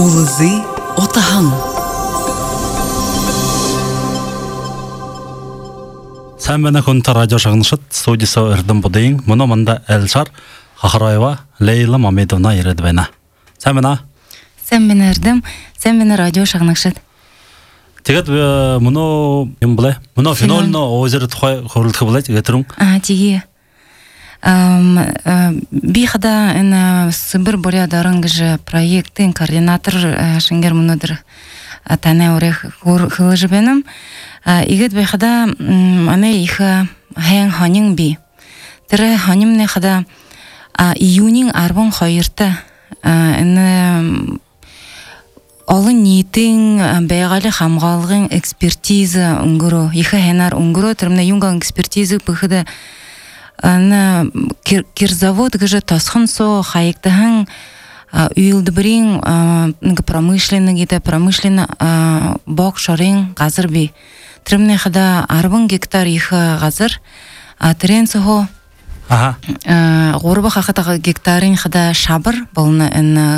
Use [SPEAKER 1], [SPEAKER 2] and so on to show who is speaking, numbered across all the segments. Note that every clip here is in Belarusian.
[SPEAKER 1] Улузы отахан.
[SPEAKER 2] Сәмбәне күнті радио шағынышыт, студиясы үрдім бұдайын, мұны мұнда Әлшар Хахараева Лейла Мамедовна ередбәйна. Сәмбәна?
[SPEAKER 3] Сәмбәне үрдім, сәмбәне радио шағынышыт.
[SPEAKER 2] Тегет мұны ем бұлай? Мұны фенолны өзірі тұқай қорылтықы бұлай, тегетірің?
[SPEAKER 3] Теге. Бейхада Сыбыр Боря дарыңғыжы проекттің координатор шынгер мұнадыр тәне орех қылы жібенім. Игет бейхада ане иха хэң ханин би. Тірі ханим не хада июнин арбон хайырты. Олын ниетин бәйгалі хамғалығын экспертиза ұңгыру. Иха хэнар ұңгыру түрімне юнган экспертиза бұхыда кирзавод гыжы тасхын со хайыктыхын үйілді бірін промышленный гиде промышленно бок шарин газыр би. Тірімне хада арбын гектар иха газыр. Тірен сохо ғорба хақытағы гектарын хада шабыр. Болны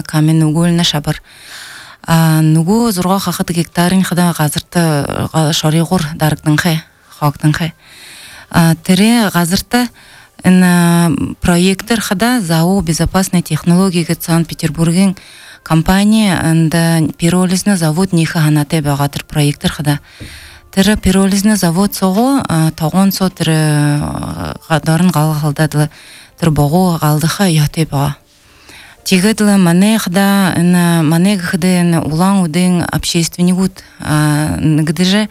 [SPEAKER 3] камен угольна шабыр. Нугу зұрға хақыты гектарын хада газырты шари ғор дарықтың хай, хауктың хай. Тірі газырты проекттер хада ЗАО безопасной технологии Санкт-Петербургин компания пиролизный завод ниха ханате багатыр проекттер хада. Тірі пиролизный завод соғу тоғын со тірі дарын ғалғалдадылы тірі боғу ғалдыға яте бага. Тегеділі мане хада мане гыхыды улан удың общественник уд гыдыжы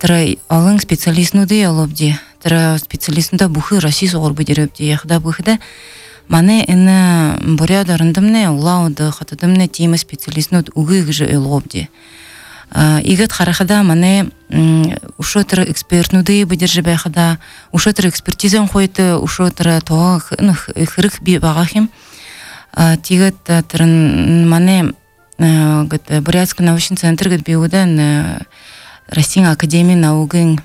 [SPEAKER 3] тірі алың специалист нуды алобди. Тірі специалистында бұхы Россия соғыр бұдерепді. Яқыда бұхыда мане боря дарындымне улауды қатыдымне тема специалист нуд уғы ғыжы елғобди. Игет харахада мане ушо тірі эксперт нуды бұдержі бәйхада, ушо тірі экспертизен қойты, ушо тірі тоға хырық би бағахим. Тегет тірін мане Бурятский научный центр гет биудан Россия академия наугын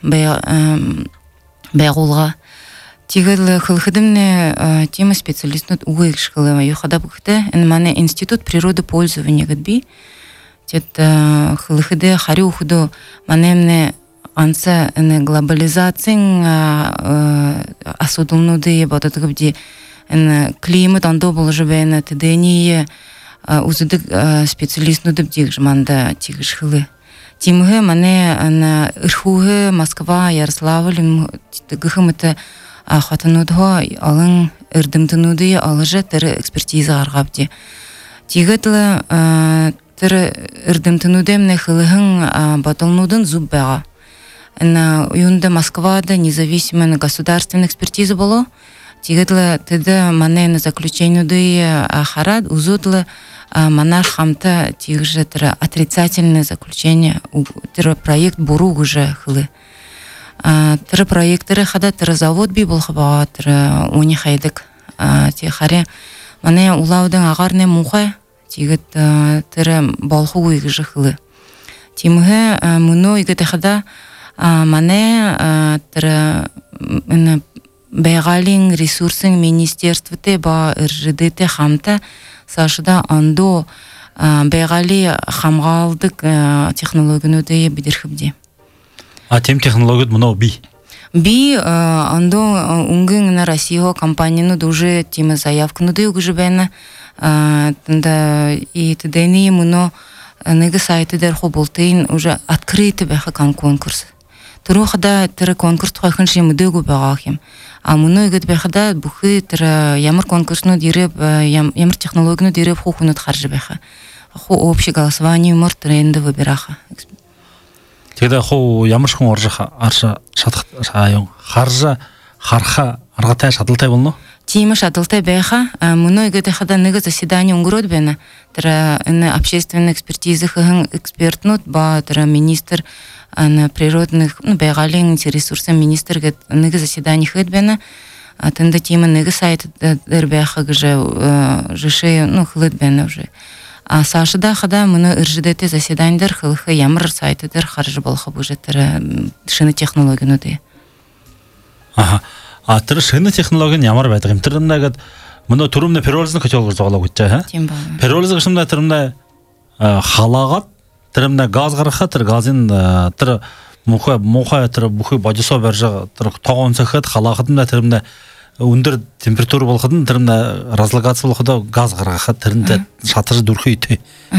[SPEAKER 3] бәғулға. Тегел қылқыдымны тема специалистнут уғы екшқылыма. Юхада бұқты, мане институт природы пользования гет би. Тет қылқыды хари ухуду манемне анса глобализациян асудылнуды ебатыды гыбди климат андо бұл жібәйні тедение узыдық специалистнуды бдиг жманда тегіш қылы. Тимге мане Ирхуге, Москва, Ярославль гыхымыты хатынудho алың үрдімтінуды алыжы тірі экспертиза арғабди. Тегетлі тірі үрдімтінуды мне хылығын батылнудын зуб бәға. Уюнда Москвада независимый государственный экспертиза болу. Тегетлі тіді мане заключенуды харад узудлы манар хамта тигже тра отрицательное заключение тра проект буру уже хлы тра проекторы хада тра завод би бол хаба тра уни хайдык ти харе мане улаудың агарне мухай тигет тра болху уйгже хлы тимге муно игете хада мане тра бәгалин ресурсын министерствоте ба РЖД хамта Сашыда андо бәғали хамғалдық технологияны өте бедерхібде.
[SPEAKER 2] Тем технологияд мұнау би?
[SPEAKER 3] Би андо ұңгын Россия компанияны уже тема заявканы да үгі жібәні. И тедені мұны неге сайты дәрху болтайын уже открыты бәхі конкурс. Тұру қада тірі конкурс тұқайқын жемі дөгі бәғақым. Мұны үгіт бәқіда бұқы тірі ямыр конкурсыны дереп, ямыр технологияны дереп хуқынат қаржы бәқі. Ху общий голосование умыр тренді выбираха.
[SPEAKER 2] Тегді ху ямыршқын аршы шатық қаржы қарха арғатай шатылтай болну?
[SPEAKER 3] Тима шатылтай бәқа. Мұны үгіт бәқіда неге заседание ұңғырот бәні. Тірі общественный экспертизы қығын экспертнут ба тірі министр природных бәгалин ресурсы министр неге заседание хыдбена тында тема неге сайт дербяха гже жеше хлыдбена уже Сашыда хада мұны РЖДТ заседаниедер хылхы ямыр сайтыдер харжы болха уже тірі шыны технологияны де.
[SPEAKER 2] Тірі шыны технологияны ямыр бәдігім. Тірімдегі мұны тұрымда пероліздің көтелгір жоғалау күтчі,
[SPEAKER 3] Тем ба.
[SPEAKER 2] Пероліздің шымда тірімда халагат тиремне газ гараха тир газин тир муха тир бухи бажысо бержа тир тогон сахат халагатында тиремне өндөр температура болгодун тиремне разлагация болгодо газ гараха тиринде шатыр дүрхүйт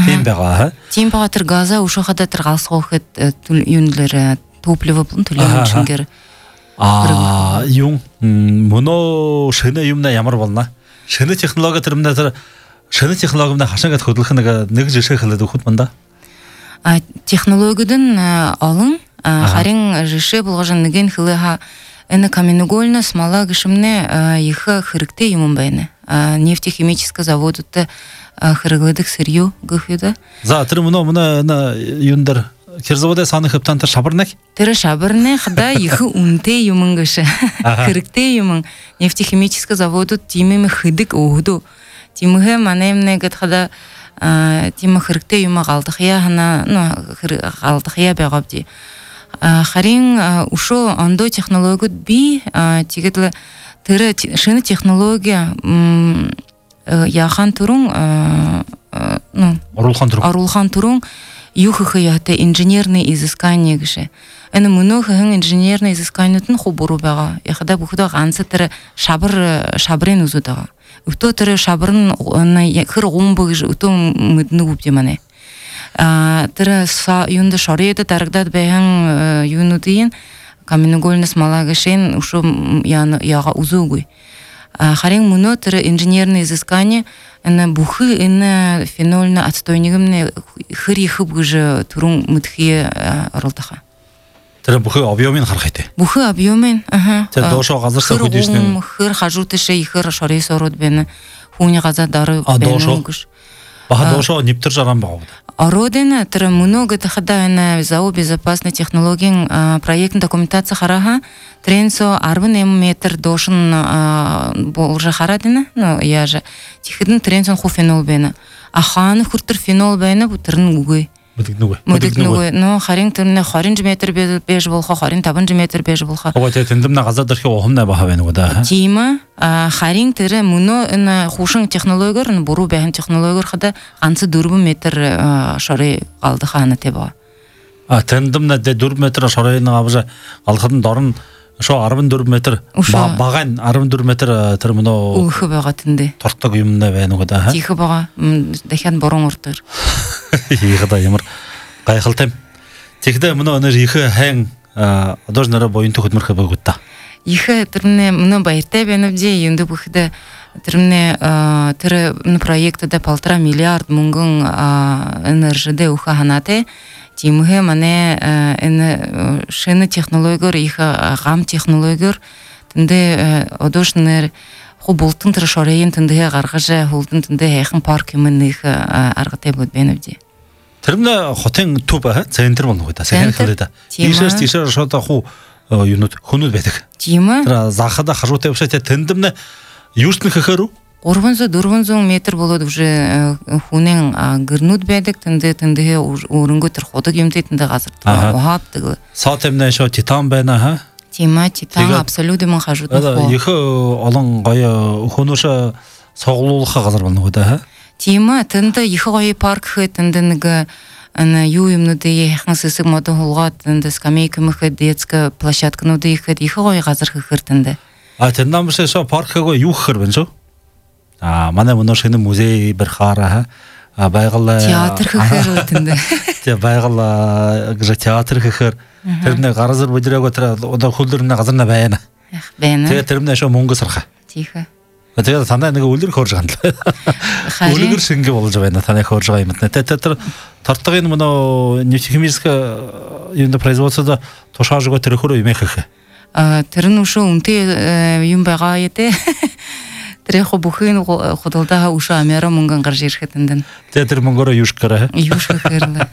[SPEAKER 2] тем бага
[SPEAKER 3] тем бага тир газа ушохада тир галсгохет юнлер топливо булун төлөмчүнгөр
[SPEAKER 2] юм моно шене юмна ямар болно шене технология тиремне тир шене технологияда хашагат хөдлөхнэг нэг жишээ хэлээд өгөхөд манда
[SPEAKER 3] технологиядан алын харин жишээ болгожон нэгэн хылыха эне каменугольна смола гишимне их хэрэгтэй юм байна нефтехимический заводта хырыгладык сырьё гөхөдө
[SPEAKER 2] за тэр моно юндар Керзавода саны хептантар шабарнак?
[SPEAKER 3] Тэр шабарнахда их үнтэй юм гэш. Хэрэгтэй юм. Нефтехимический заводут тимэм хыдык өгдө. Тимхэ манемнэ гэдхада тим хэрэгтэй юм галдахя хана галдахя байгавди. Харин ушо ондо технологиуд би тэгээд тэр шинэ технология яхан турун оруулхан турун юххаяты инженерные изыскания гэшэ. Энэ мөнөөхөн инженерные изысканиуд нь хубуруу байгаа. Яхада бүхдөө ганц тэр шабрын үзүүд байгаа. Өтөө тэр шабар нь хэр гомбо гэж өтөө мэднэг үгүй мане. Тэр юунд шорьёд дарагдаад байсан юунуудын каменугольна смола гэшэн ушо яга үзүүгүй. Харин мөнөө тэр инженерные изыскания энэ бүхий энэ фенольны отстойнигмны хэр их гэж түрүүн мэдхий оролдоха.
[SPEAKER 2] Тэр бүхий объемын харах хэвтэй.
[SPEAKER 3] Бүхий объемын
[SPEAKER 2] тэр доошоо газарсаа хөдөлсөн
[SPEAKER 3] хэр хажуутэшээ ихэр шорьёс ороод байна. Хүүний газар дараа байна гэж.
[SPEAKER 2] Баха доошоо нэвтэр жаран байгаа.
[SPEAKER 3] Ороден тэр мөнөө гэдхада энэ ЗАО безопасной технологийн проектын документация хараха тренсо 18 метр дошин уже харадина но я же тихэдэн тренсон ху фенол байна. Ахан хүртэр фенол байна бүтэрн үгүй. Мэдэгнүгүй. Но харин тэрнэ 20 метр бэж болохоо 25 метр бэж болохоо.
[SPEAKER 2] Ого тэ тэндэмнэ газар дэрхи ухамнаа баха байна уу да.
[SPEAKER 3] Тийм харин тэр мөнөө энэ хушин технологиор нь буруу байх технологиор хада ганц 4 метр шоры галдахана тэбэ.
[SPEAKER 2] Тэндэмнэ 4 метр шорын авжа галхад дорн шо 14 метр баган 14 метр тэр мөнөө
[SPEAKER 3] өөх байгаа тэндэ.
[SPEAKER 2] Тортог юмнаа байна уу да.
[SPEAKER 3] Тийх байгаа. Дахиад борон уртэр.
[SPEAKER 2] Ийгда ямар гайхалтай. Тэгдэ мөнөө нэр их хайн одож нараа боёнт хөдмөрхө байгууд та.
[SPEAKER 3] Их тэрнэ мөнөө баяртай байна вэ юунд бүхэдэ тэрнэ тэр проектда 1,5 миллиард мөнгөн энержидэ өөхө ханаатай. Тимхэ мане энэ шинэ технологиор их гам технологиор тэндэ одож нэр хубултын тэр шорын тэндэ гаргаж хулдан тэндэ хайхан парк юм нэг аргатай بود байна вэ?
[SPEAKER 2] Тэрнэ хотын төв центр болно уу та сайн хэлээд. Тийшээс шота хуу юунууд хөнүүд байдаг.
[SPEAKER 3] Тийм ээ.
[SPEAKER 2] Тэр захада хажуутай бишээ тэндэмнэ юуснэ гэхээр
[SPEAKER 3] 300-400 метр болоод уже хүнэн гэрнүүд байдаг тэндээ өрөнгөө тэр худаг юмтэй тэндээ газар ухаапдаг.
[SPEAKER 2] Сотэмнэ шо титан байна ха.
[SPEAKER 3] Тийм ээ титан абсолютно хажууд нөх.
[SPEAKER 2] Их олон гоё хөнөөш соглуулах газар болно уу да ха.
[SPEAKER 3] Тийм ээ тэндээ их гоё парк хэ тэндээ нэг юу юмнуудыг яхан сэсэг модон хулгаад тэндээ скамейка мэхэд детская площадкануудыг ихэд их гоё газар хэхэр тэндээ.
[SPEAKER 2] Тэндээс шо паркгаа юу гэхэр байна шүү. Манай мөнөө шинэ музей барихаараа байгаль
[SPEAKER 3] театр гэхээр үтэндээ.
[SPEAKER 2] Тэ байгаль гэж театр гэхээр тэрний гаразар бүжрээгөө тэр одоо хөлөрнө газарна байна.
[SPEAKER 3] Байна.
[SPEAKER 2] Тэгээ тэрнээ шо мөнгө сарха.
[SPEAKER 3] Тийхэ.
[SPEAKER 2] Тэгээ танаа нэг үлэр хөөрж гандлаа. Үлэр шингэ болж байна танаа хөөрж байгаа юм. Тэр тортгийн мөнөө нефтехимический юунд производството тушаажгаа тэр хөрөө юм яхах.
[SPEAKER 3] Тэр нь ушөө үнтэй юм байгаа яа. Тэр яг бүхэн худалдаа ушаа амяра мөнгөн гарч ирэхэд энэ.
[SPEAKER 2] Тэр мөнгөөрөө юуш гэрэ.
[SPEAKER 3] Юуш гэрлээ.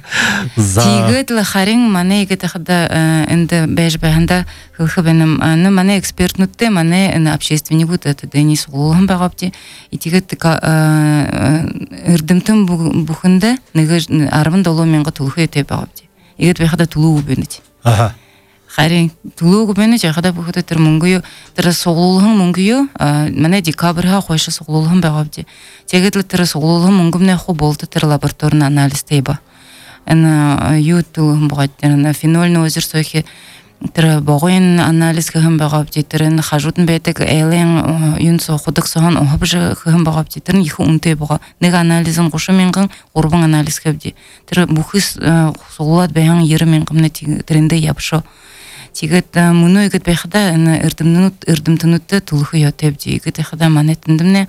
[SPEAKER 3] Тэгээд л харин манай гэдэг энд байж байханда хөлхө бэнэм манай экспертнүүдтэй манай энэ общественникүүд Денис Гулхан байгаавч тэгээд эрдэмтэн бүхэндээ нэг 17,000 төлөхөйтэй байгаавч. Игээд байхада төлөв бэнэж. харин тулууг бэнэ жахада бүхөд тэр мөнгөө тэр сугуулхан мөнгөө манай декабрьха хойш сугуулхан байгаа бди. Тэгээд л тэр сугуулхан мөнгөмнэ ху болд тэр лабораторийн анализтэй ба. Эн YouTube богод тэр фенольный озер сойхи тэр богын анализ хэм байгаа бди. Тэр н хажууд нь байдаг элен юун сохудаг сон хобж хэм байгаа бди. Тэр нь их үнэтэй байгаа. Нэг анализ нь 30,000 3 анализ хэвди. Тэр бүхс сугуулад баян 90,000 тэрэндээ явшоо. Тэгээд мөнөө игэд байхада энэ эрдэмтэнүүдтэй төлөхөө ятавди. Игэд байхада манай тэндэмнэ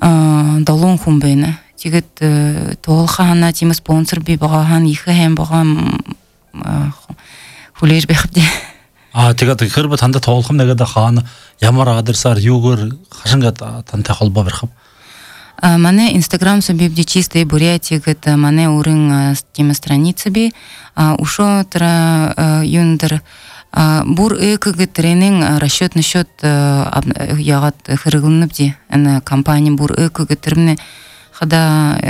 [SPEAKER 3] 7 хүн байна. Тэгээд тоолхана тийм спонсор би байгаа хан их хэм байгаа хүлээж байхад.
[SPEAKER 2] Тэгээд хэрвээ танд тоолхом нэгэд хаана ямар адресаар юугаар хашингаад тантай холбоо барих вэ?
[SPEAKER 3] Манай Instagram собибди чистая Бурятия гэд манай өрн тийм страница би ушо тра юндер бур эк гэтренин расчет насчет ягат хэрэглэнэбди ана компания бур эк гэтрэмне хада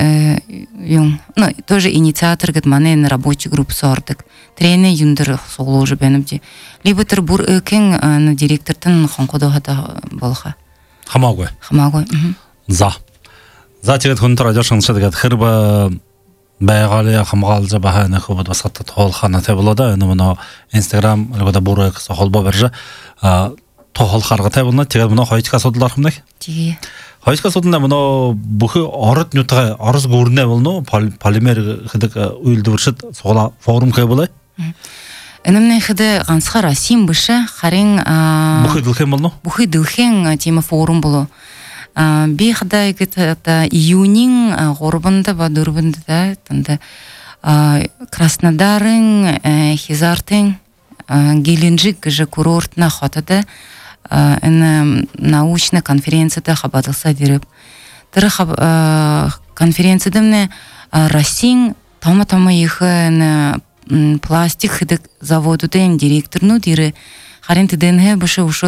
[SPEAKER 3] юн ну тоже инициатор гэд манай рабочий групп сордык трене юндер суглуужу бенэбди либо тэр бур экин директортын хонкодо хада болха
[SPEAKER 2] хамаагүй за тэгээд хүн радио шансаад тэгээд хэрвээ байгаали хамгаалж байгаа нэг хөвд бас хатад хоолханатай болоо энэ мөн Instagram руу бүрэг холбоо барьж тоол харгатай болно. Тэгээд мөн хоёрдугаар асуудал орох юм нэг.
[SPEAKER 3] Тий.
[SPEAKER 2] Хоёрдугаар асуудал нь мөн бүх ород нутгаа орос гүрнэ болно. Полимер гэдэг үйлдвэршид сугла форум хэ болоо.
[SPEAKER 3] Энэмнэ хэдэ ганцхан Российн биш харин
[SPEAKER 2] бүх дэлхийн болно.
[SPEAKER 3] Бүх дэлхийн тийм форум болоо. Би хада игэт июнин 3-нд ба 4-нд танд Краснодарын Хизартын Геленджик гэж курортна хотод энэ научная конференцияда хабарласа диреп. Тэр конференцияда нэ Российн том их пластик гэдэг заводуудын директорнууд ирээ. Харин тэдэнхэ биш ушо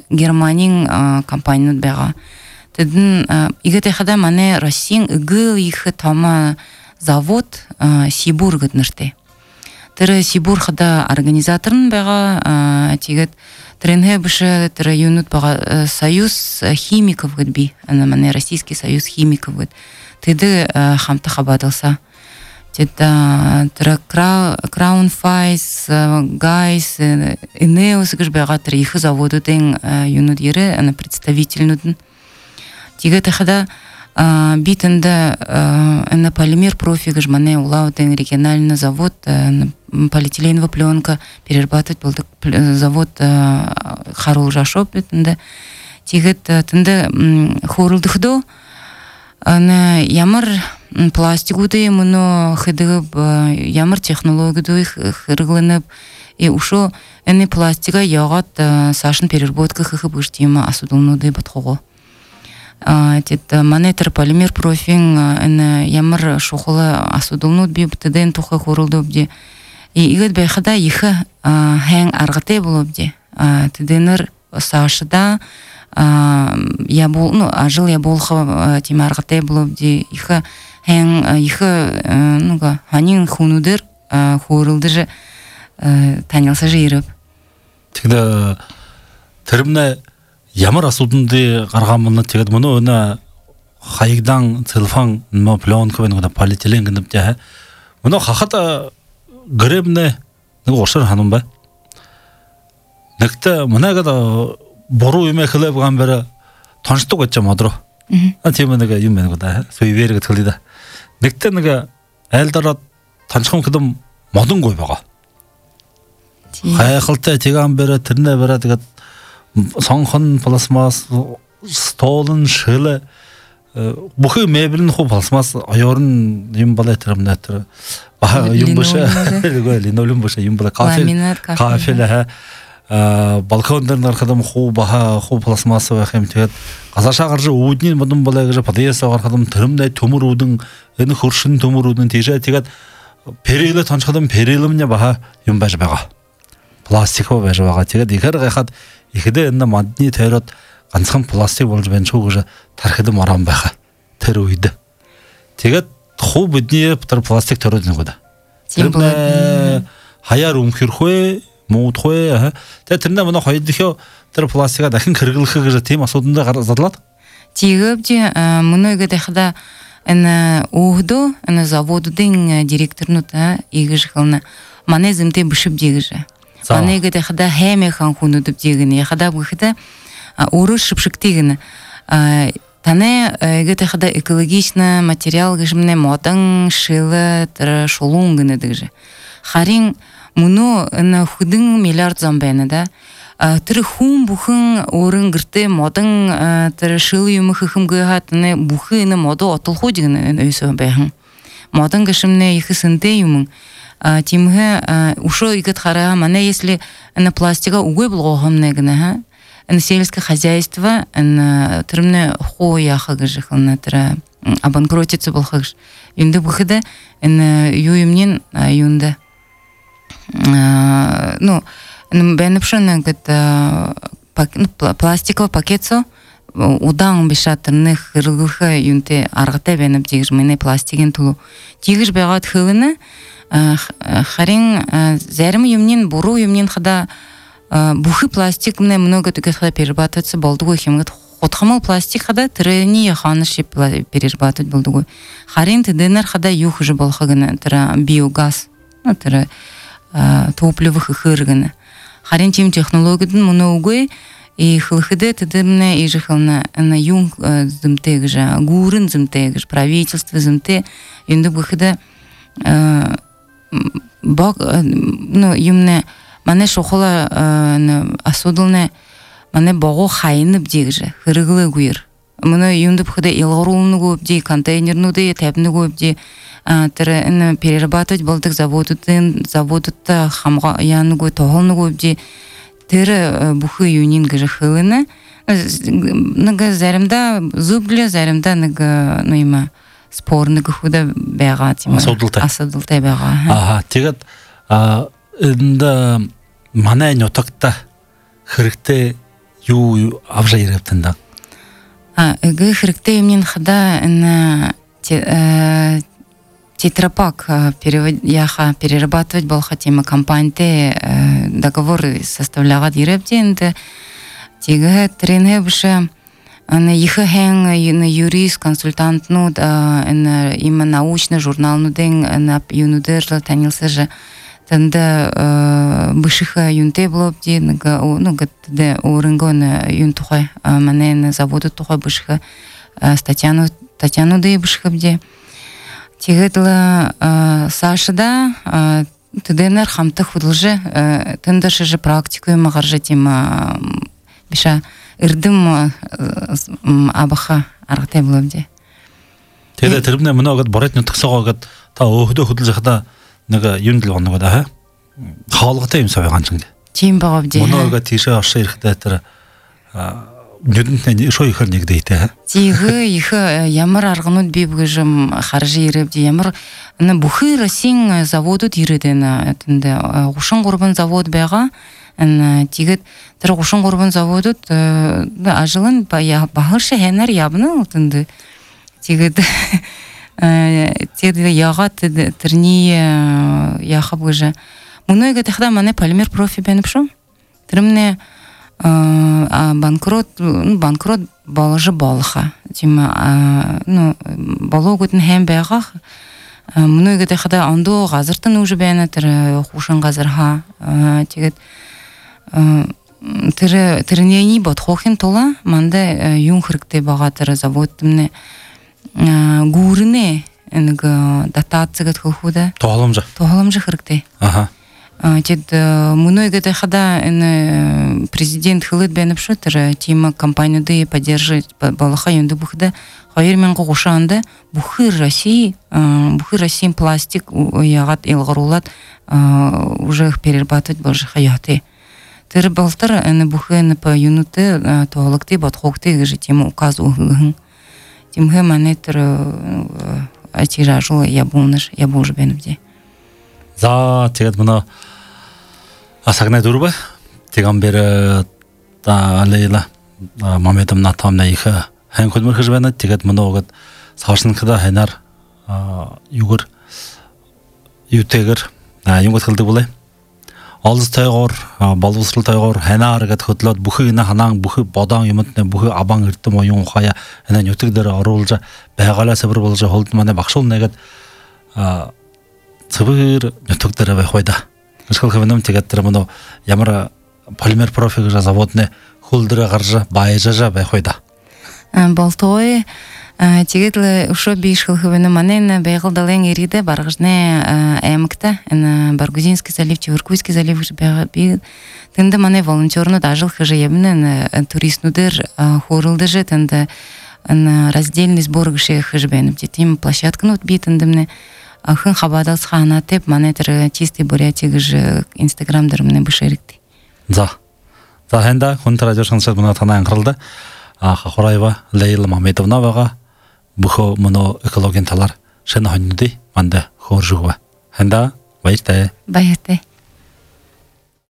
[SPEAKER 3] Германийн компаниуд байгаа. Тэдэн игэт хада манай Российн ыг их том завод Сибур гэд нэртэй. Тэр Сибур хада организатор нь байгаа. Тэгээд тэрнхэ биш тэр юунууд байгаа Союз химиков гэд би манай Российский союз химиков гэд тэд хамтаа хабадалса. Тэр Crown Fice, Guys, Ineos гэж байгаа тэр их заводуудын юунууд ярэ представительнууд нь. Тэгээд хада битэнд на полимер профи гэж манай улаудын региональный завод полиэтиленовая пленка перерабатывать болдог завод харуул жашоп битэнд. Тэгээд тэнд хөөрөлдөхдөө ямар пластикуудын мөнө хэдэг ямар технологид хэрэглэнэв ушо энэ пластика ягаад сашин переработка хэх биш тийм асуудалнуудыг бодхоо. Тэд манай тэр полимер профин энэ ямар шухал асуудалнууд би битдэн тухай хөрөлдөвди. Игэд байхада их хэн аргатай боловди. Тэдэнэр сашда ажил ябуулха тийм аргатай боловди. Их хэн их нуга ханин хүнүүдэр хөрөлдөж танилцаж ирв.
[SPEAKER 2] Тэгээд тэрмнэ ямар асуудалд гарган мөн тэгээд мөн өнө хаягдан телефон но пленка нэг полиэтилен гэнэвтэй мөн хахад гребнэ нэг ушар ханам бай нэгтэ манайгад буруу юм хэлэв гамбэр тонцдог гэж модро тийм нэг юм байна гоо суйвэр гэдэг хэлээ да нэгтэ нэг айлдараа танчхан хэдэм модонгүй байгаа хайхалтай тэгамбэр тэрнэ бараа тэгээд сонхон пластмас столын шилэ бүхий мебель нь хуу пластмас оёрн юм балай тэрмнэ тэр баа юм бошаа линолеум бошаа юм бала кафе лэ балкон дээр нархадам хуу баа хуу пластмас байх юм тэгээд гасаашаа гарч үүдний модон балай гэж подъезд гарахадам тэрмнэ төмөр үүдэн энэ хөршин төмөр үүдэн тийшээ тэгээд перэлэ тончхадам перэлэмнэ баа юм байж байгаа пластик байж байгаа тэгээд ихэр гайхад ихэдэ энэ мандны тойроод ганцхан пластик болж байна шүү гэж тархид маран байха тэр үед тэгээд хуу бидний тэр пластик тойроод нэг удаа тэр хаяар өмхөрхөө муудхөө тэ тэрнээ манай хоёр дөхөө тэр пластика дахин хэрэглэх гэж тийм асууданд зарлаад
[SPEAKER 3] тигөвди мөнөөгөө дахда энэ өхдөө энэ заводын директорнууд ийгэж хэлнэ манай зэмтэй бишib дийгэж манайг дахда хэмэхэн хүнүүд дийгэн яхада бүхэдэ өөрөө шипшигтийгэн таны гэдэг хада экологична материал гэжмнэ модон шилэ тэр шулун гэнэ дэж харин мөнө энэ хүдэн миллиард зам байна да тэр хүн бүхэн өөрөн гэртээ модон тэр шил юм хэмгээ хатны бүхэн модо отолхоо гэнэ өсөө байхан модон гэжмнэ их сэнтэй юм тимхэ ушо игет хара мане если на пластика угой болгохомнэ гэнэ на сельское хозяйство на термне хуяха гжихна тра обанкротиться был хаж юнда выхода на юимнин юнда ну бенепшена гата пластиковый пакетсо удан бишатрных рылха юнте аргата бенеп дигжмене пластикин тулу дигж бегат хылына харин зарим юмнин буру юмнин хада бухы пластик мне много таких перерабатывается болдугой химгат хотхамал пластик хада трени ханыши перерабатывать болдугой харин теденер хада юх же болхагана тра биогаз тра топливых хыргана харин тим технологиядан многой и хылхыде тедемне и жихална на юн зымтегжа гурын зымтегж правительство зымте инде бухыда баг ну юмне мане шохола асудылны мане бого хайны бдегже хырыглы гуйр мына юнды бхыда илгорулны губди контейнернуды тәбны губди тірі перерабатывать болдық заводытта хамға яны гуй тоғылны губди тірі бухы юнин гыжы хылыны нага зарымда зубле зарымда нага нойма спорны гыхуда бәға асудылтай бәға
[SPEAKER 2] аха тегет инда манай нотакта хэрэгтэй юу авжа ирэвтэнда
[SPEAKER 3] гэ хэрэгтэй юмнин хада на тетрапак перерабатывать был хотим компании договор составляла ирэвтэнда тегэ тренэ бше на иххэн на юрист консультант ну именно научный журнал ну ден на юнудер танился же танда бышыха юнте блобди ну гатде орынгон юнтухай манен заводу тухай бышыха Татьяну дей бышхабде тигетла Сашада тденер хамта худылже тендаше же практикуем магарже тема биша ирдим абаха аргате блобди
[SPEAKER 2] теге тэрбнэ многод боротны тгсогоод та өхдө хөдөлж хада нэг юундл гоног да хаалгатай юм савь ганчинг
[SPEAKER 3] тийм багавди
[SPEAKER 2] монога тийшээ оршоо ирэхдээ тэр нүдэнтэй шоо ихэр нэгдээтэй
[SPEAKER 3] тигэ их ямар арганууд би бүгжим харж ирэвди ямар бүхий Российн заводууд ирэдэн тэнд 33 завод байгаа тэгээд тэр 33 заводууд ажлын багш хэнэр явна тэнд тэгээд тэгээд ягаад тэрний яхав гэж мөнөөгөө дахда манай полимер профи бэнэпшү тэрмнэ банкрот болжо болха тийм ну бологотн хэм байгаа мөнөөгөө дахда ондоо газартан үж байна тэр хушин газарха тэгээд тэрний бодхохын тула манда юн хэрэгтэй байгаа тэр заводмны гүүрнэ нэг дотацияд хөхүдэ тоглоомж хэрэгтэй
[SPEAKER 2] аха
[SPEAKER 3] тэд мөнөөгөө дахда энэ президент хылыт бэнэпшү тэр тима компаниуды поддерживать балаха юнды бухда 2030 анда бүхий Россия пластик ягат илгорулат уже перерабатывать болж хаяты тэр балтар энэ бүхэн по юнуты тоологты бодхогты гэж тима указ угын тимхэ манетер атиражу ябунаш ябуж бэнэвди
[SPEAKER 2] за тэгээд мына асагнай дурба тэгамбэр та алейла мамедам натамна их хэн хөлмөр хэж байна тэгээд мөнөөгд савшинхда ханаар югэр ютэгэр юнгот хэлдэг болой балыз тайгор балвусрал тайгор ханааргат хөтлөд бүхий на ханаан бүхий бодаан юмтны бүхий абан эрдэм оюун хая энэ нөтөг дээр оруулж байгалаа сабар болж холд манай багшуул нэгэд цэвэр нөтөг дээр байх байда. Эсвэл хөвнөм тэгээд тэр мөн ямар полимер профиг заводны хөл дээр гарж баяжаа байх байда.
[SPEAKER 3] Болтой тэгээд ушо бишхэл хөвнө манайна байгалдалын ириде баргажны аймагта энэ Баргузинский залив, Чевыркуйский залив би тэнд манай волонтернууд ажил хийж явна туристнуудэр хөрөлдөж тэнд раздельный сбор гших хийж байна. Тийм площадкнууд би тэндэмнэ хэн хабадалс ханатеп манай тэр чистый бурятиг гэж Instagram дээр мэнэ бишэрэгдэ. За хэнда хүн радио сонсоод манай танаа анхааралда Хахураева Лейла Мамедовнавага бүхөө моно экологийн талаар шинэ хоньнуудыг манда хөөржөг ба. Хэнда баяртай.